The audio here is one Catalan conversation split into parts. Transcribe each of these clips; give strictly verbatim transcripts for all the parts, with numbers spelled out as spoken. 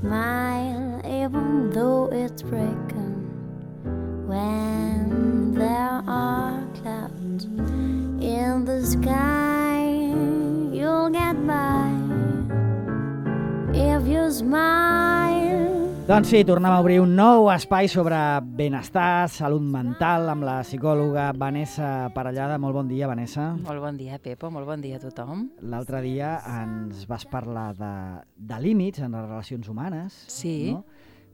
smile even though it's breaking. When there are clouds in the sky, you'll get by if you smile. Doncs sí, tornem a obrir un nou espai sobre benestar, salut mental, amb la psicòloga Vanessa Parellada. Molt bon dia, Vanessa. Molt bon dia, Pepo. Molt bon dia a tothom. L'altre dia ens vas parlar de, de límits en les relacions humanes. Sí. No?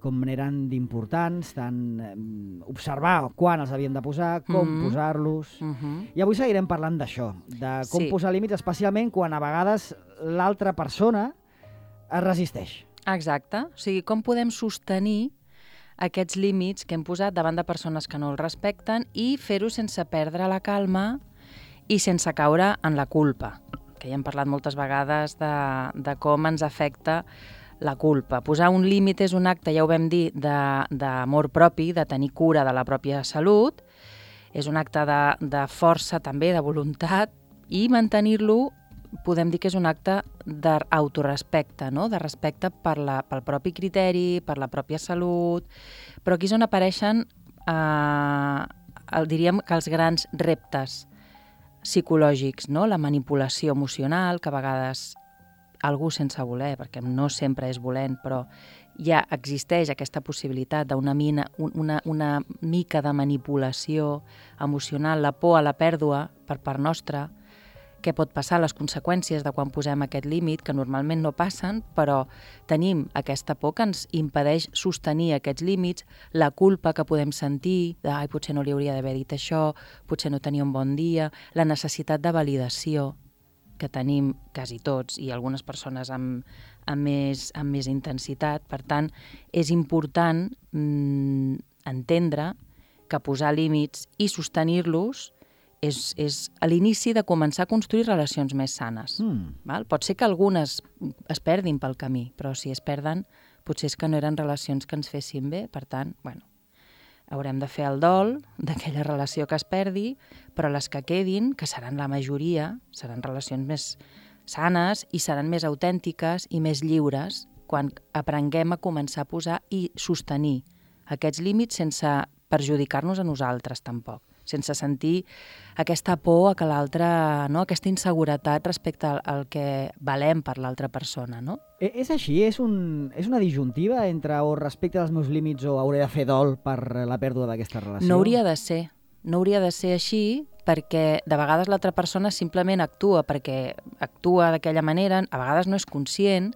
Com eren d'importants, tant eh, observar quan els havíem de posar, com Mm-hmm. posar-los. Mm-hmm. I avui seguirem parlant d'això, de com Sí. posar límits, especialment quan a vegades l'altra persona es resisteix. Exacte. O sigui, com podem sostenir aquests límits que hem posat davant de persones que no els respecten i fer-ho sense perdre la calma i sense caure en la culpa, que ja hem parlat moltes vegades de, de com ens afecta la culpa. Posar un límit és un acte, ja ho vam dir, d'amor propi, de tenir cura de la pròpia salut, és un acte de, de força també, de voluntat, i mantenir-lo podem dir que és un acte d'autorespecte, no? De respecte per la, pel propi criteri, per la pròpia salut, però aquí és on apareixen, eh, el, diríem que els grans reptes psicològics, no? La manipulació emocional, que a vegades algú sense voler, perquè no sempre és volent, però ja existeix aquesta possibilitat d'una mina, una, una mica de manipulació emocional, la por a la pèrdua per part nostra, què pot passar, les conseqüències de quan posem aquest límit, que normalment no passen, però tenim aquesta por que ens impedeix sostenir aquests límits, la culpa que podem sentir, de, ai, potser no li hauria d'haver dit això, potser no tenia un bon dia, la necessitat de validació que tenim quasi tots i algunes persones amb, amb, més, amb més intensitat. Per tant, és important mm, entendre que posar límits i sostenir-los és, és a l'inici de començar a construir relacions més sanes. Mm. Val? Pot ser que algunes es perdin pel camí, però si es perden, potser és que no eren relacions que ens fessin bé. Per tant, bueno, haurem de fer el dol d'aquella relació que es perdi, però les que quedin, que seran la majoria, seran relacions més sanes i seran més autèntiques i més lliures quan aprenguem a començar a posar i sostenir aquests límits sense perjudicar-nos a nosaltres tampoc, sense sentir aquesta por a que l'altre, no? Aquesta inseguretat respecte al, al que valem per l'altra persona, no? E és així? És, un, és una disjuntiva entre o respecte als meus límits o hauré de fer dol per la pèrdua d'aquesta relació? No hauria de ser. No hauria de ser així perquè de vegades l'altra persona simplement actua perquè actua d'aquella manera, a vegades no és conscient,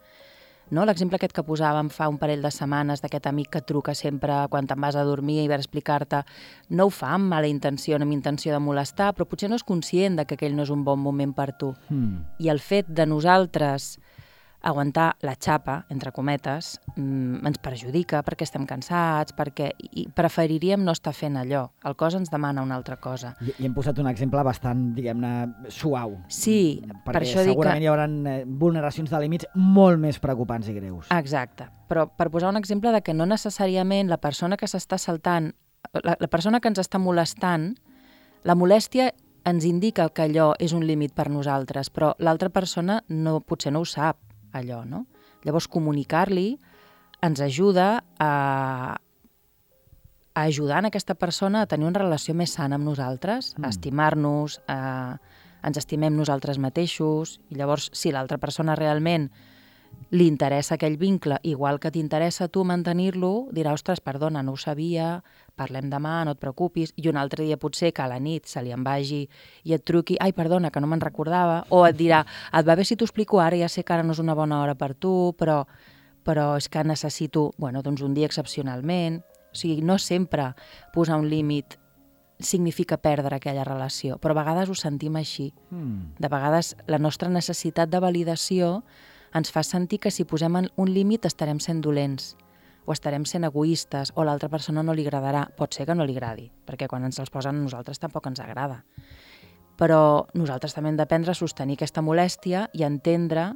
no? L'exemple aquest que posàvem fa un parell de setmanes d'aquest amic que truca sempre quan te'n vas a dormir i ve a explicar-te, no ho fa amb mala intenció, no amb intenció de molestar, però potser no és conscient de que aquell no és un bon moment per tu. Mm. I el fet de nosaltres aguantar la xapa, entre cometes, mmm, ens perjudica perquè estem cansats, perquè i preferiríem no estar fent allò. El cos ens demana una altra cosa. I, i hem posat un exemple bastant, diguem-ne, suau. Sí, per això dic que... segurament hi haurà vulneracions de límits molt més preocupants i greus. Exacte, però per posar un exemple de que no necessàriament la persona que s'està saltant, la, la persona que ens està molestant, la molèstia ens indica que allò és un límit per nosaltres, però l'altra persona no, potser no ho sap, allò, no? Llavors, comunicar-li ens ajuda a, a ajudar en aquesta persona a tenir una relació més sana amb nosaltres, mm. a estimar-nos, a, ens estimem nosaltres mateixos, i llavors, si l'altra persona realment li interessa aquell vincle, igual que t'interessa tu mantenir-lo, dirà, ostres, perdona, no ho sabia, parlem demà, no et preocupis, i un altre dia potser que a la nit se li en vagi i et truqui, ai, perdona, que no me'n recordava, o et dirà, et va bé si t'ho explico ara, ja sé que ara no és una bona hora per tu, però, però és que necessito, bueno, doncs un dia excepcionalment. O sigui, no sempre posar un límit significa perdre aquella relació, però a vegades ho sentim així. Mm. De vegades la nostra necessitat de validació ens fa sentir que si posem un límit estarem sent dolents o estarem sent egoistes o l'altra persona no li agradarà. Pot ser que no li agradi, perquè quan ens els posen a nosaltres tampoc ens agrada. Però nosaltres també hem d'aprendre a sostenir aquesta molèstia i entendre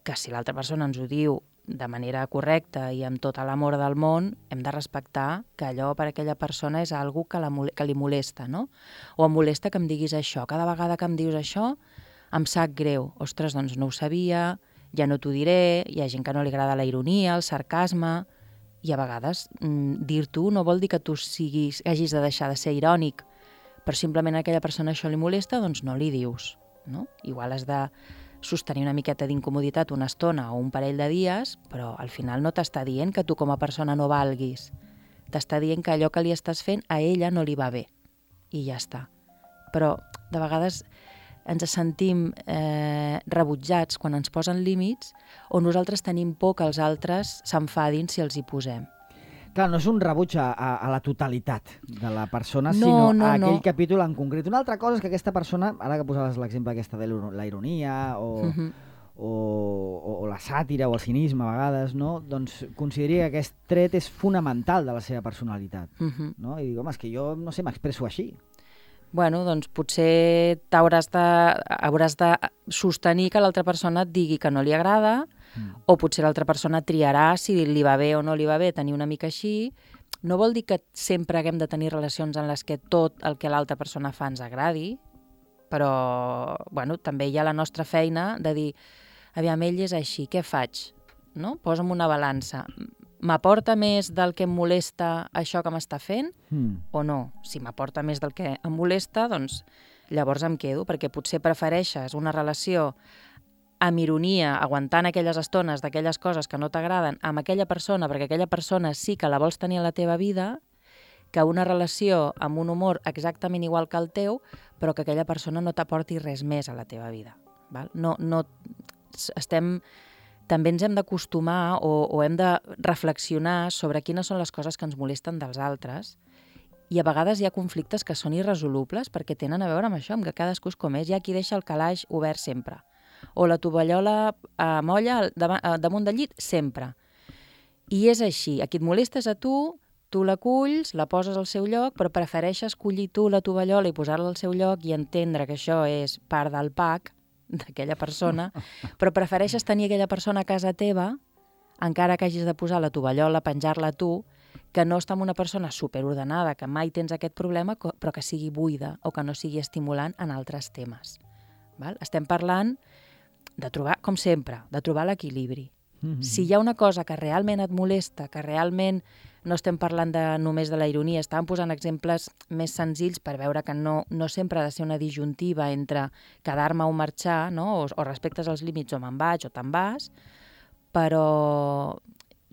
que si l'altra persona ens ho diu de manera correcta i amb tot l'amor del món, hem de respectar que allò per a aquella persona és algo que, la, que li molesta, no? O em molesta que em diguis això. Cada vegada que em dius això, em sap greu. Ostres, doncs no ho sabia, ja no t'ho diré, hi ha gent que no li agrada la ironia, el sarcasme, i a vegades mm, dir-t'ho no vol dir que tu siguis, hagis de deixar de ser irònic, però simplement a aquella persona això li molesta, doncs no li dius. No? Igual has de sostenir una miqueta d'incomoditat una estona o un parell de dies, però al final no t'està dient que tu com a persona no valguis. T'està dient que allò que li estàs fent a ella no li va bé. I ja està. Però de vegades ens sentim eh, rebutjats quan ens posen límits o nosaltres tenim por que els altres s'enfadin si els hi posem. Clar, no és un rebuig a, a, a la totalitat de la persona, No, sinó no, a aquell no. capítol en concret. Una altra cosa és que aquesta persona, ara que posaves l'exemple aquesta de la ironia o, Mhm. o, o, o la sàtira o el cinisme a vegades, no? Doncs consideri que aquest tret és fonamental de la seva personalitat. Mhm. No? I dic, home, és que jo, no sé, m'expresso així. Bueno, doncs potser t'hauràs de, hauràs de sostenir que l'altra persona et digui que no li agrada, mm. o potser l'altra persona triarà si li va bé o no li va bé tenir una mica així. No vol dir que sempre haguem de tenir relacions en les que tot el que l'altra persona fa ens agradi, però bueno, també hi ha la nostra feina de dir, aviam, ell és així, què faig? No? Posa'm una balança. M'aporta més del que em molesta això que m'està fent Mm. o no? Si m'aporta més del que em molesta, doncs llavors em quedo, perquè potser prefereixes una relació amb ironia, aguantant aquelles estones d'aquelles coses que no t'agraden amb aquella persona, perquè aquella persona sí que la vols tenir a la teva vida, que una relació amb un humor exactament igual que el teu, però que aquella persona no t'aporti res més a la teva vida. Val? No, no, estem... També ens hem d'acostumar o, o hem de reflexionar sobre quines són les coses que ens molesten dels altres, i a vegades hi ha conflictes que són irresolubles perquè tenen a veure amb això, amb que cadascú és com és. Hi ha qui deixa el calaix obert sempre, o la tovallola a molla damunt del llit sempre. I és així, a qui et molesta és a tu, tu l'aculls, la poses al seu lloc, però prefereixes collir tu la tovallola i posar-la al seu lloc i entendre que això és part del pack d'aquella persona, però prefereixes tenir aquella persona a casa teva, encara que hagis de posar la tovallola, penjar-la tu, que no estar amb una persona superordenada, que mai tens aquest problema, però que sigui buida o que no sigui estimulant en altres temes. Val? Estem parlant de trobar, com sempre, de trobar l'equilibri. Mm-hmm. Si hi ha una cosa que realment et molesta, que realment no estem parlant de, només de la ironia, estàvem posant exemples més senzills per veure que no, no sempre ha de ser una disjuntiva entre quedar-me o marxar, no? o, o respectes als límits o me'n vaig o te'n vas, però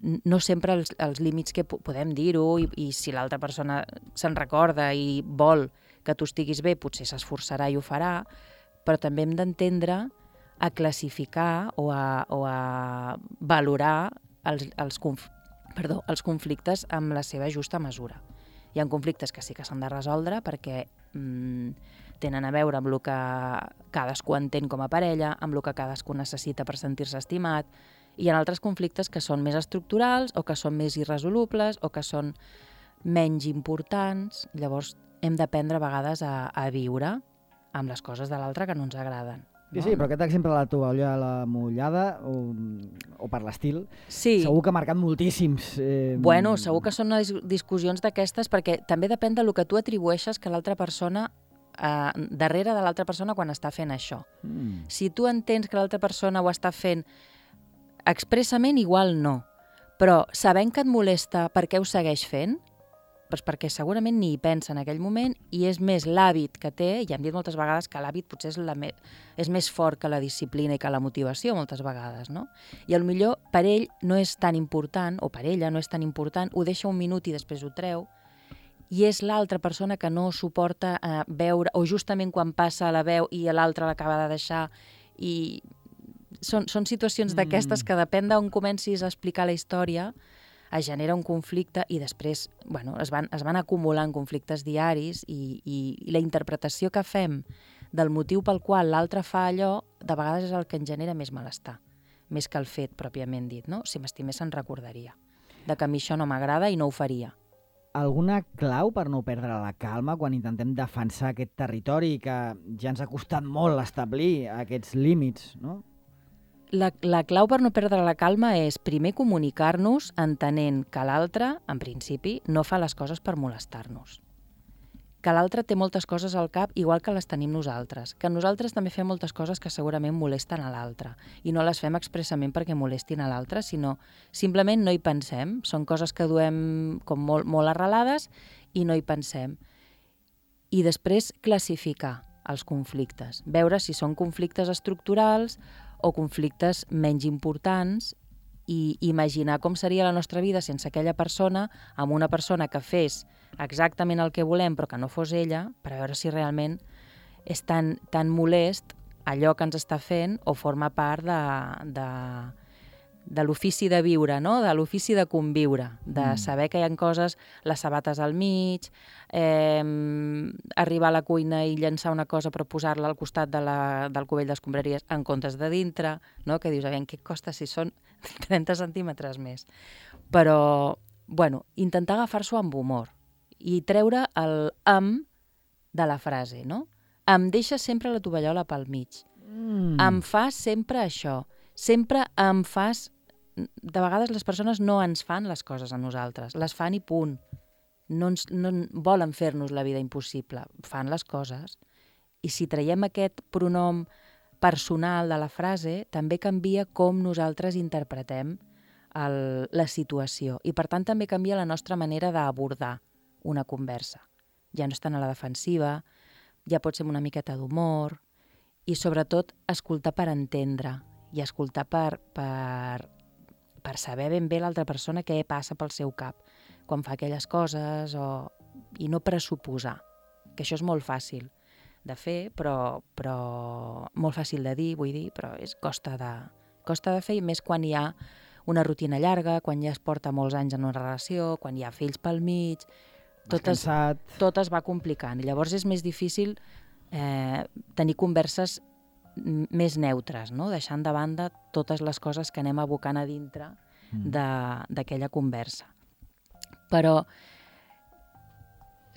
no sempre els, els límits que podem dir-ho i, i si l'altra persona se'n recorda i vol que tu estiguis bé, potser s'esforçarà i ho farà, però també hem d'entendre a classificar o a, o a valorar els, els, conf, perdó, els conflictes amb la seva justa mesura. Hi ha conflictes que sí que s'han de resoldre perquè mm, tenen a veure amb el que cadascú entén com a parella, amb el que cadascú necessita per sentir-se estimat. Hi ha altres conflictes que són més estructurals o que són més irresolubles o que són menys importants. Llavors hem d'aprendre a vegades a, a viure amb les coses de l'altre que no ens agraden. Sí, sí, però aquest exemple de la tovallola mullada o, o per l'estil, sí. Segur que ha marcat moltíssims. Eh... Bueno, segur que són dis discussions d'aquestes perquè també depèn del que tu atribueixes que l'altra persona, eh, darrere de l'altra persona quan està fent això. Mm. Si tu entens que l'altra persona ho està fent expressament, igual no, però sabent que et molesta, per què ho segueix fent? Pues perquè segurament ni hi pensa en aquell moment i és més l'hàbit que té, i hem dit moltes vegades que l'hàbit potser és, la me és més fort que la disciplina i que la motivació moltes vegades, no? I potser per ell no és tan important, o per ella no és tan important, ho deixa un minut i després ho treu, i és l'altra persona que no suporta eh, veure, o justament quan passa la veu i l'altra l'acaba de deixar, i són, són situacions mm. d'aquestes que depèn d'on comencis a explicar la història, es genera un conflicte i després bueno, es, van, es van acumulant conflictes diaris i, i, i la interpretació que fem del motiu pel qual l'altre fa allò, de vegades és el que ens genera més malestar, més que el fet pròpiament dit. No? Si m'estimés se'n recordaria de que a mi això no m'agrada i no ho faria. Alguna clau per no perdre la calma quan intentem defensar aquest territori que ja ens ha costat molt establir aquests límits, no? La, la clau per no perdre la calma és primer comunicar-nos entenent que l'altre, en principi, no fa les coses per molestar-nos. que l'altre té moltes coses al cap igual que les tenim nosaltres, que nosaltres també fem moltes coses que segurament molesten a l'altre i no les fem expressament perquè molestin a l'altre, sinó simplement no hi pensem, són coses que duem com molt, molt arrelades i no hi pensem. I després classificar els conflictes, veure si són conflictes estructurals o conflictes menys importants i imaginar com seria la nostra vida sense aquella persona, amb una persona que fes exactament el que volem però que no fos ella, per veure si realment és tan, tan molest allò que ens està fent o forma part de, de, de l'ofici de viure, no? De l'ofici de conviure, de mm. saber que hi ha coses, les sabates al mig, eh, arribar a la cuina i llançar una cosa però posar-la al costat de la, del cubell d'escombraries en comptes de dintre, no? Que dius, a veure, què costa si són trenta centímetres més? Però, bueno, intentar agafar-s'ho amb humor i treure el am de la frase, no? Em deixes sempre la tovallola pel mig. Mm. Em fas sempre això. Sempre em fas... De vegades les persones no ens fan les coses a nosaltres, les fan i punt. No, ens, no volen fer-nos la vida impossible, fan les coses. I si traiem aquest pronom personal de la frase, també canvia com nosaltres interpretem el, la situació. I per tant també canvia la nostra manera d'abordar una conversa. Ja no estan a la defensiva, ja pot ser una miqueta d'humor i sobretot escoltar per entendre i escoltar per, per, per saber ben bé l'altra persona què passa pel seu cap quan fa aquelles coses o, i no pressuposar, que això és molt fàcil de fer, però, però molt fàcil de dir, vull dir, però és costa de, costa de fer i més quan hi ha una rutina llarga, quan ja es porta molts anys en una relació, quan hi ha fills pel mig, tot es, tot es va complicant. I llavors és més difícil eh, tenir converses més neutres, no? Deixant de banda totes les coses que anem abocant a dintre d'aquella conversa. Però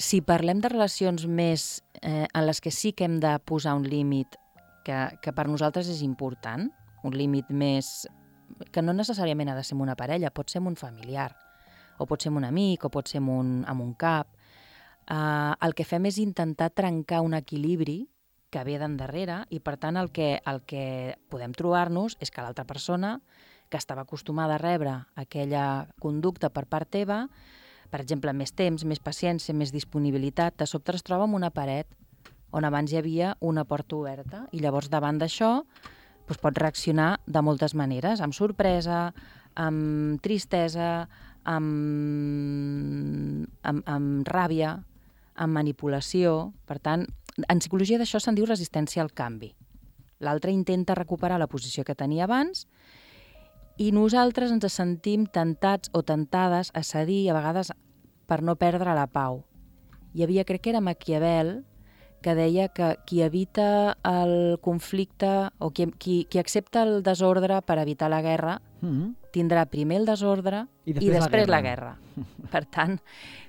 si parlem de relacions més eh, en les que sí que hem de posar un límit que, que per nosaltres és important, un límit més que no necessàriament ha de ser amb una parella, pot ser amb un familiar, o pot ser amb un amic, o pot ser amb un, amb un cap. Uh, el que fem és intentar trencar un equilibri que ve d'endarrere i, per tant, el que, el que podem trobar-nos és que l'altra persona, que estava acostumada a rebre aquella conducta per part teva, per exemple, més temps, més paciència, més disponibilitat, de sobte es troba amb una paret on abans hi havia una porta oberta i llavors davant d'això doncs, pot reaccionar de moltes maneres, amb sorpresa, amb tristesa, amb, amb, amb ràbia, amb manipulació. Per tant, en psicologia d'això se'n diu resistència al canvi. L'altre intenta recuperar la posició que tenia abans i nosaltres ens sentim tentats o tentades a cedir, a vegades per no perdre la pau. Hi havia, crec que era Maquiavel, que deia que qui evita el conflicte o qui, qui, qui accepta el desordre per evitar la guerra mm-hmm. tindrà primer el desordre i després, i després la, guerra. la guerra. Per tant,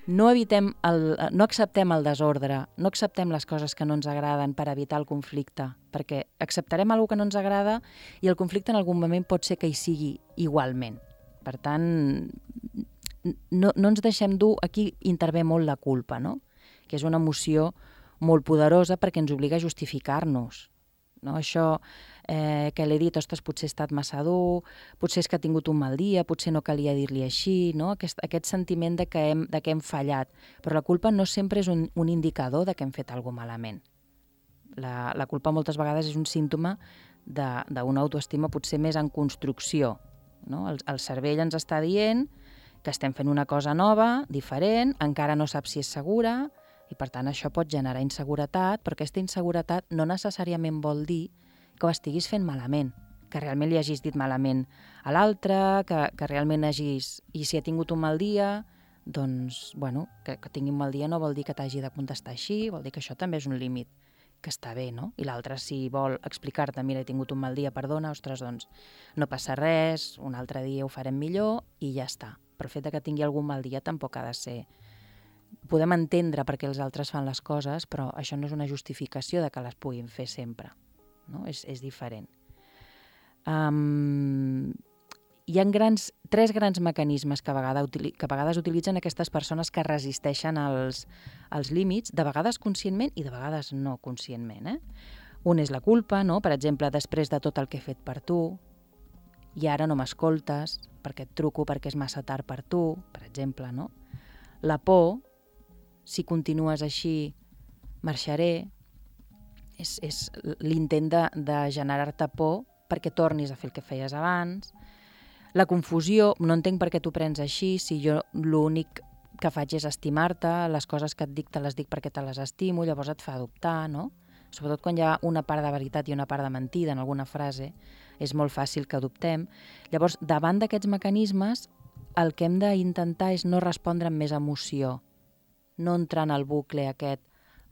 no, evitem el, no acceptem el desordre, no acceptem les coses que no ens agraden per evitar el conflicte, perquè acceptarem alguna que no ens agrada i el conflicte en algun moment pot ser que hi sigui igualment. Per tant, no, no ens deixem dur, aquí intervé molt la culpa, no? Que és una emoció molt poderosa perquè ens obliga a justificar-nos. No? Això eh, que l'he dit, ostres, potser he estat massa dur, potser és que ha tingut un mal dia, potser no calia dir-li així, no? aquest, aquest sentiment de que, hem, de que hem fallat. Però la culpa no sempre és un, un indicador de que hem fet alguna cosa malament. La, la culpa moltes vegades és un símptoma d'una autoestima potser més en construcció. No? El, el cervell ens està dient que estem fent una cosa nova, diferent, encara no sap si és segura, i per tant això pot generar inseguretat, però aquesta inseguretat no necessàriament vol dir que ho estiguis fent malament, que realment li hagis dit malament a l'altre, que, que realment hagis... I si ha tingut un mal dia, doncs, bueno, que, que tingui un mal dia no vol dir que t'hagi de contestar així, vol dir que això també és un límit que està bé, no? I l'altre, si vol explicar-te, mira, he tingut un mal dia, perdona, ostres, doncs no passa res, un altre dia ho farem millor i ja està. Però el fet de que tingui algun mal dia tampoc ha de ser... Podem entendre per què els altres fan les coses, però això no és una justificació de que les puguin fer sempre. No? És, és diferent. Um, hi ha grans, tres grans mecanismes que a, vegada, que a vegades utilitzen aquestes persones que resisteixen als, als límits, de vegades conscientment i de vegades no conscientment. Eh? Un és la culpa, no? Per exemple, després de tot el que he fet per tu, i ara no m'escoltes, perquè et truco perquè és massa tard per tu, per exemple. No? La por, si continues així, marxaré, és, és l'intent de, de generar-te por perquè tornis a fer el que feies abans. La confusió, no entenc per què t'ho prens així, si jo l'únic que faig és estimar-te, les coses que et dic te les dic perquè te les estimo, llavors et fa dubtar, no? Sobretot quan hi ha una part de veritat i una part de mentida en alguna frase, és molt fàcil que dubtem. Llavors, davant d'aquests mecanismes, el que hem d'intentar és no respondre amb més emoció, no entrar en el bucle aquest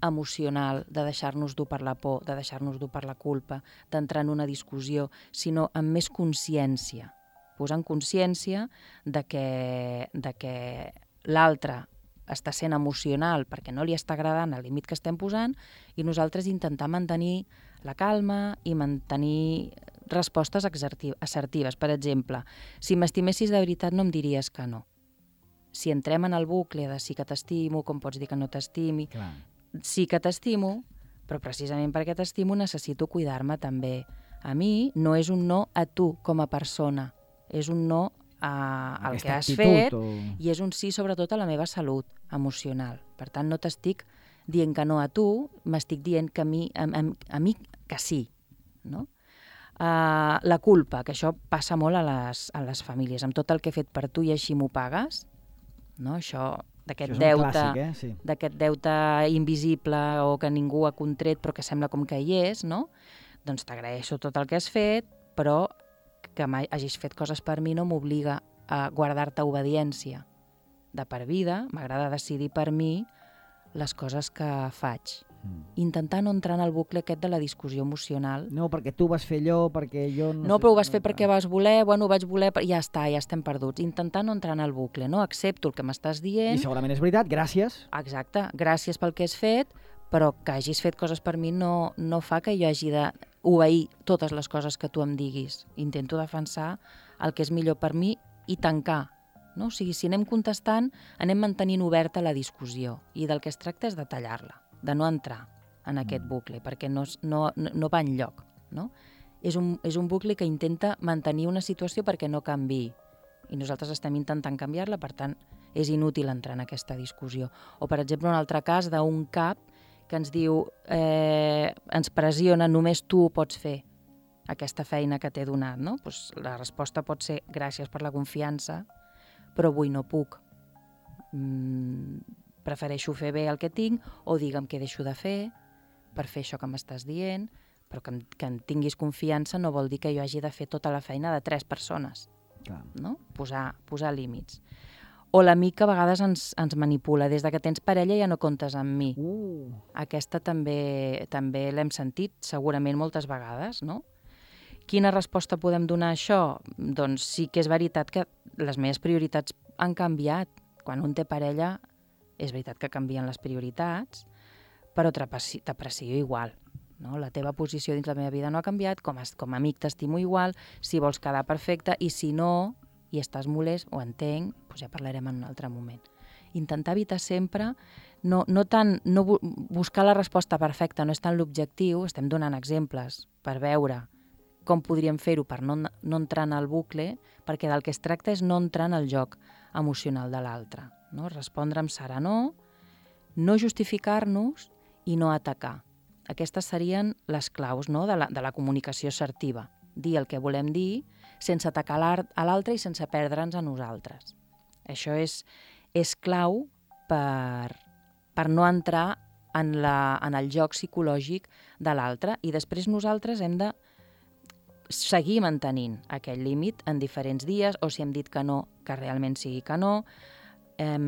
emocional de deixar-nos dur per la por, de deixar-nos dur per la culpa, d'entrar en una discussió, sinó amb més consciència, posant consciència de que, de que l'altre està sent emocional perquè no li està agradant el límit que estem posant i nosaltres intentar mantenir la calma i mantenir respostes assertives. Per exemple, si m'estimessis de veritat no em diries que no. Si entrem en el bucle de sí que t'estimo, com pots dir que no t'estimi, Clar. Sí que t'estimo, però precisament perquè t'estimo necessito cuidar-me també. A mi no és un no a tu com a persona, és un no a, al que has fet o... i és un sí sobretot a la meva salut emocional. Per tant, no t'estic dient que no a tu, m'estic dient que a mi, a, a, a mi que sí. No? Uh, la culpa, que això passa molt a les, a les famílies, amb tot el que he fet per tu i així m'ho pagues, no? Això... d'aquest deute, clàssic, eh? Sí. d'aquest deute invisible o que ningú ha contret però que sembla com que hi és, no? Doncs t'agraeixo tot el que has fet, però que hagis fet coses per mi no m'obliga a guardar-te obediència. De per vida, m'agrada decidir per mi les coses que faig. Mm. Intentar no entrar en el bucle aquest de la discussió emocional. No, perquè tu vas fer allò, perquè jo... No, no sé, però ho vas no, fer perquè vas voler, bueno, ho vaig voler, ja està, ja estem perduts. Intentar no entrar en el bucle, no? Accepto el que m'estàs dient... I segurament és veritat, gràcies. Exacte, gràcies pel que has fet, però que hagis fet coses per mi no, no fa que jo hagi d'obeir totes les coses que tu em diguis. Intento defensar el que és millor per mi i tancar. No? O sigui, si anem contestant, anem mantenint oberta la discussió i del que es tracta és de tallar-la, de no entrar en aquest bucle, perquè no, no, no va enlloc. No? És, un, és un bucle que intenta mantenir una situació perquè no canviï. I nosaltres estem intentant canviar-la, per tant, és inútil entrar en aquesta discussió. O, per exemple, un altre cas d'un cap que ens diu, eh, ens pressiona, només tu pots fer aquesta feina que t'he donat. No? Pues la resposta pot ser gràcies per la confiança, però avui no puc. Mm, prefereixo fer bé el que tinc o digue'm què deixo de fer per fer això que m'estàs dient, però que em, que em tinguis confiança no vol dir que jo hagi de fer tota la feina de tres persones. Clar. No? Posar, posar límits. O l'amic que a vegades ens, ens manipula. Des de que tens parella ja no comptes amb mi. Uh. Aquesta també, també l'hem sentit segurament moltes vegades, no? Quina resposta podem donar a això? Doncs sí que és veritat que les meves prioritats han canviat. Quan un té parella, és veritat que canvien les prioritats, però t'aprecio igual. No? La teva posició dins la meva vida no ha canviat, com a, com a amic t'estimo igual, si vols quedar perfecte, i si no, i estàs molest, ho entenc, doncs ja parlarem en un altre moment. Intentar evitar sempre, no, no tant, no bu buscar la resposta perfecta, no és tant l'objectiu, estem donant exemples per veure com podríem fer-ho per no, no entrar en el bucle, perquè del que es tracta és no entrar en el joc emocional de l'altre. No? Respondre amb serenor, no justificar-nos i no atacar. Aquestes serien les claus, no? de, la, de la comunicació assertiva. Dir el que volem dir sense atacar a l'altre i sense perdre'ns a nosaltres. Això és, és clau per, per no entrar en, la, en el joc psicològic de l'altre i després nosaltres hem de seguir mantenint aquell límit en diferents dies o si hem dit que no, que realment sigui que no. Eh,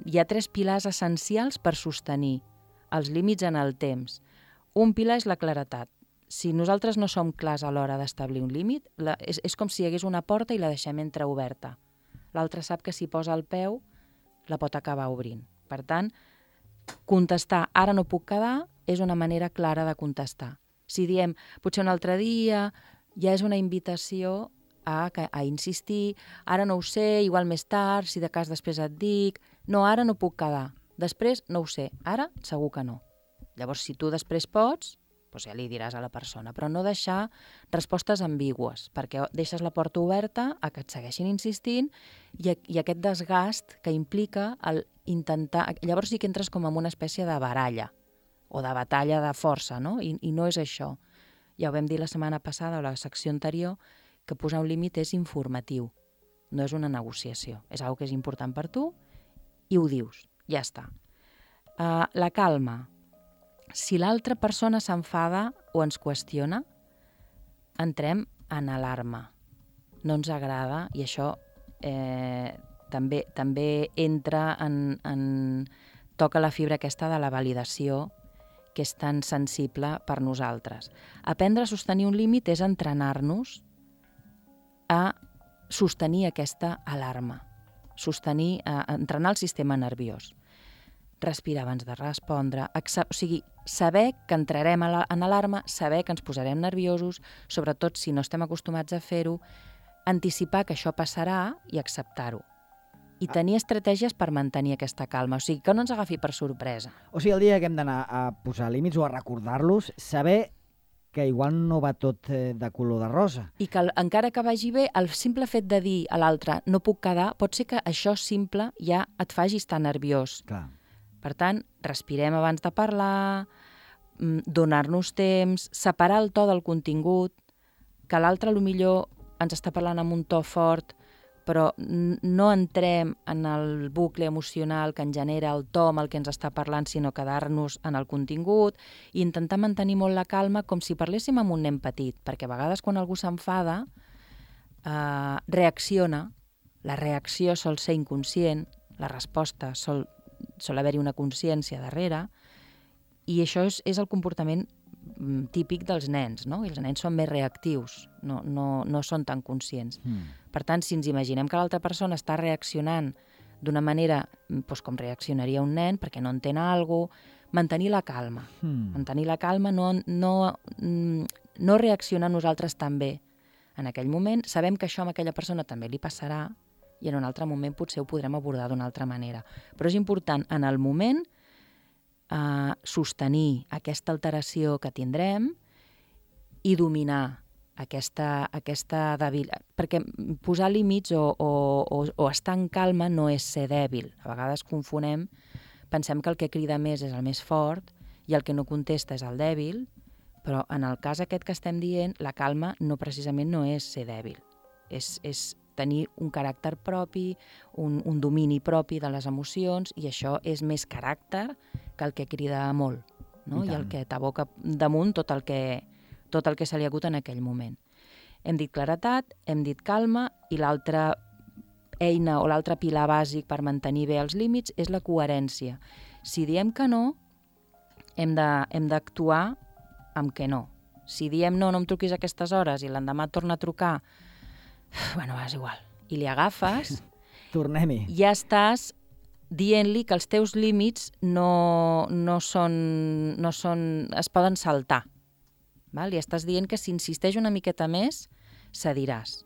hi ha tres pilars essencials per sostenir els límits en el temps. Un pilar és la claretat. Si nosaltres no som clars a l'hora d'establir un límit, la, és, és com si hi hagués una porta i la deixem entreoberta. L'altre sap que si posa el peu la pot acabar obrint. Per tant, contestar ara no puc quedar és una manera clara de contestar. Si diem potser un altre dia, ja és una invitació a, a insistir, ara no ho sé, igual més tard, si de cas després et dic, no, ara no puc quedar, després no ho sé, ara segur que no. Llavors, si tu després pots, doncs ja li diràs a la persona, però no deixar respostes ambigües, perquè deixes la porta oberta a que et segueixin insistint i, i aquest desgast que implica el intentar... Llavors sí que entres com en una espècie de baralla o de batalla de força, no? I, i no és això. Ja ho vam dir la setmana passada o la secció anterior, que posar un límit és informatiu, no és una negociació. És una cosa que és important per tu i ho dius, ja està. Uh, la calma. Si l'altra persona s'enfada o ens qüestiona, entrem en alarma. No ens agrada i això eh, també, també entra en, en... toca la fibra aquesta de la validació que és tan sensible per nosaltres. Aprendre a sostenir un límit és entrenar-nos a sostenir aquesta alarma, sostenir, a entrenar el sistema nerviós. Respirar abans de respondre, o sigui, saber que entrarem en alarma, saber que ens posarem nerviosos, sobretot si no estem acostumats a fer-ho, anticipar que això passarà i acceptar-ho. I tenir estratègies per mantenir aquesta calma, o sigui, que no ens agafi per sorpresa. O sigui, el dia que hem d'anar a posar límits o a recordar-los, saber que igual no va tot de color de rosa. I que encara que vagi bé, el simple fet de dir a l'altre no puc quedar, pot ser que això simple ja et faci estar nerviós. Clar. Per tant, respirem abans de parlar, donar-nos temps, separar el to del contingut, que l'altre potser ens està parlant amb un to fort, però no entrem en el bucle emocional que en genera el to amb el que ens està parlant, sinó quedar-nos en el contingut i intentar mantenir molt la calma com si parléssim amb un nen petit, perquè a vegades quan algú s'enfada eh, reacciona, la reacció sol ser inconscient, la resposta sol, sol haver-hi una consciència darrere, i això és, és el comportament típic dels nens, no? I els nens són més reactius, no, no, no són tan conscients. Mm. Per tant, si ens imaginem que l'altra persona està reaccionant d'una manera doncs, com reaccionaria un nen, perquè no entén alguna cosa, mantenir la calma. Mm. Mantenir la calma, no, no, no reaccionar nosaltres també. En aquell moment sabem que això a aquella persona també li passarà i en un altre moment potser ho podrem abordar d'una altra manera. Però és important en el moment Uh, sostenir aquesta alteració que tindrem i dominar aquesta, aquesta debilitat. Perquè posar límits o, o, o, o estar en calma no és ser dèbil. A vegades confonem, pensem que el que crida més és el més fort i el que no contesta és el dèbil, però en el cas aquest que estem dient, la calma no precisament no és ser dèbil. És, és tenir un caràcter propi, un, un domini propi de les emocions, i això és més caràcter que el que crida molt, no? I, I el que t'aboca damunt tot el que, tot el que se li ha hagut en aquell moment. Hem dit claretat, hem dit calma, i l'altra eina o l'altre pilar bàsic per mantenir bé els límits és la coherència. Si diem que no, hem de, hem d'actuar amb que no. Si diem no, no em truquis a aquestes hores i l'endemà torna a trucar, bueno, és igual, i li agafes, tornem-hi. Ja estàs dient-li que els teus límits no, no, són, no són, es poden saltar. Val? I estàs dient que si insisteix una miqueta més, cediràs.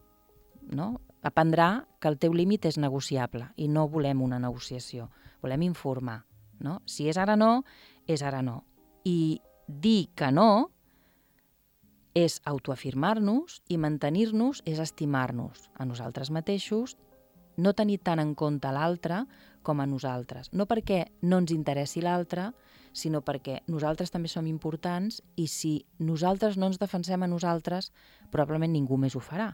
No? Aprendrà que el teu límit és negociable i no volem una negociació, volem informar. No? Si és ara no, és ara no. I dir que no és autoafirmar-nos i mantenir-nos és estimar-nos a nosaltres mateixos, no tenir tant en compte l'altre com a nosaltres. No perquè no ens interessi l'altre, sinó perquè nosaltres també som importants i si nosaltres no ens defensem a nosaltres, probablement ningú més ho farà.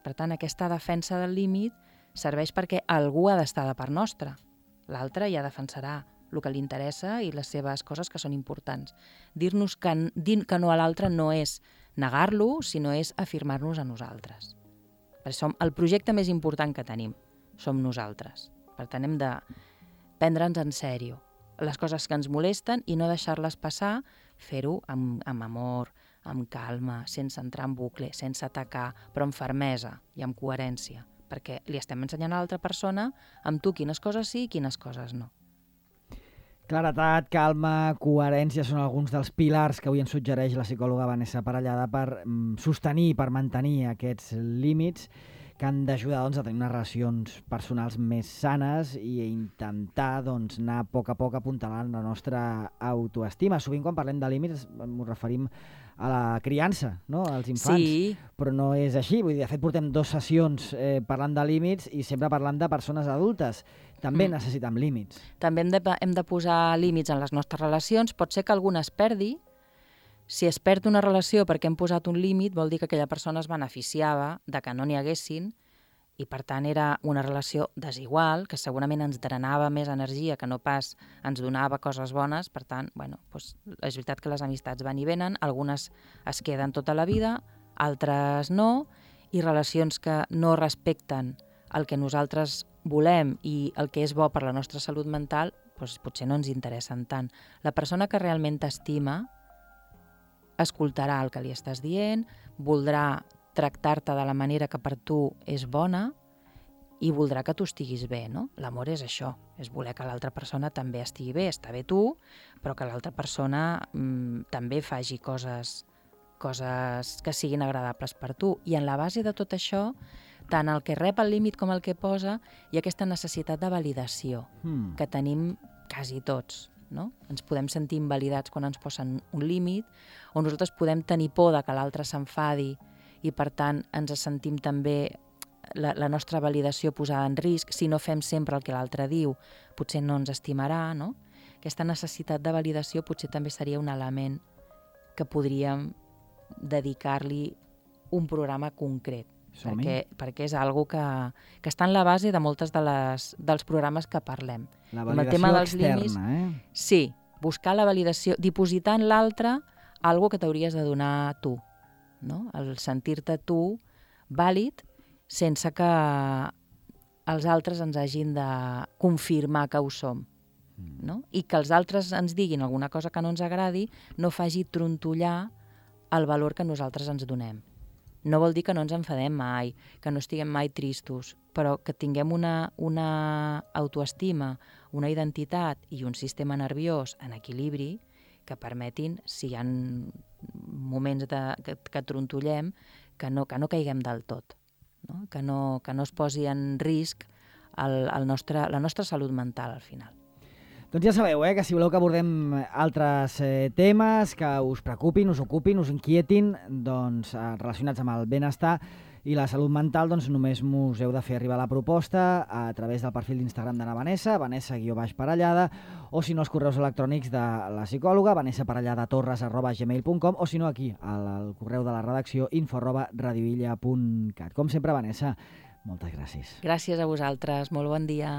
Per tant, aquesta defensa del límit serveix perquè algú ha d'estar de part nostra. L'altre ja defensarà el que li interessa i les seves coses que són importants. Dir-nos que, dir que no a l'altre no és negar-lo, sinó és afirmar-nos a nosaltres. Perquè som el projecte més important que tenim, som nosaltres. Per tant, hem de prendre'ns en sèrio les coses que ens molesten i no deixar-les passar, fer-ho amb, amb amor, amb calma, sense entrar en bucle, sense atacar, però amb fermesa i amb coherència, perquè li estem ensenyant a l'altra persona amb tu quines coses sí i quines coses no. Claretat, calma, coherència són alguns dels pilars que avui ens suggereix la psicòloga Vanessa Parellada per mm, sostenir, per mantenir aquests límits que han d'ajudar doncs, a tenir unes relacions personals més sanes i intentar doncs, anar a poc a poc apuntalant la nostra autoestima. Sovint quan parlem de límits ens referim a la criança, no? Als infants, Sí. però no és així. Vull dir, de fet, portem dues sessions eh, parlant de límits i sempre parlant de persones adultes. També mm. necessitem límits. També hem de, hem de posar límits en les nostres relacions. Pot ser que alguna es perdi. Si es perd una relació perquè hem posat un límit, vol dir que aquella persona es beneficiava de que no n'hi haguessin i, per tant, era una relació desigual, que segurament ens drenava més energia que no pas ens donava coses bones. Per tant, bueno, doncs, és veritat que les amistats van i venen, algunes es queden tota la vida, altres no, i relacions que no respecten el que nosaltres volem i el que és bo per la nostra salut mental, doncs potser no ens interessen tant. La persona que realment t'estima escoltarà el que li estàs dient, voldrà tractar-te de la manera que per tu és bona i voldrà que tu estiguis bé, no? L'amor és això, és voler que l'altra persona també estigui bé, està bé tu, però que l'altra persona mmm, també faci coses, coses que siguin agradables per tu. I en la base de tot això, tant el que rep el límit com el que posa, hi ha aquesta necessitat de validació Hmm. que tenim quasi tots. No? Ens podem sentir invalidats quan ens posen un límit, o nosaltres podem tenir por de que l'altre s'enfadi i, per tant, ens sentim també la, la nostra validació posada en risc. Si no fem sempre el que l'altre diu, potser no ens estimarà, no? Aquesta necessitat de validació potser també seria un element que podríem dedicar-li un programa concret, Som-hi. perquè, perquè és algo que, que està en la base de moltes de les, dels programes que parlem. La Com el validació tema dels externa, límits, eh? Sí, buscar la validació, dipositar en l'altre algo que t'hauries de donar tu, no? El sentir-te tu vàlid sense que els altres ens hagin de confirmar que ho som, no? I que els altres ens diguin alguna cosa que no ens agradi no faci trontollar el valor que nosaltres ens donem. No vol dir que no ens enfadem mai, que no estiguem mai tristos, però que tinguem una, una autoestima, una identitat i un sistema nerviós en equilibri que permetin, si hi ha moments de, que, que trontollem, que no, que no caiguem del tot, no? Que, no, que no es posi en risc el, el nostre, la nostra salut mental al final. Doncs ja sabeu, eh, que si voleu que abordem altres eh, temes que us preocupin, us ocupin, us inquietin, doncs, eh, relacionats amb el benestar i la salut mental, doncs només us heu de fer arribar la proposta a través del perfil d'Instagram de la Vanessa, Vanessa guió baix Parellada, o si no els correus electrònics de la psicòloga, vanessaparelladatorres arroba gmail punt com, o si no aquí, al, al correu de la redacció info arroba radioilla punt cat. Com sempre, Vanessa, moltes gràcies. Gràcies a vosaltres, molt bon dia.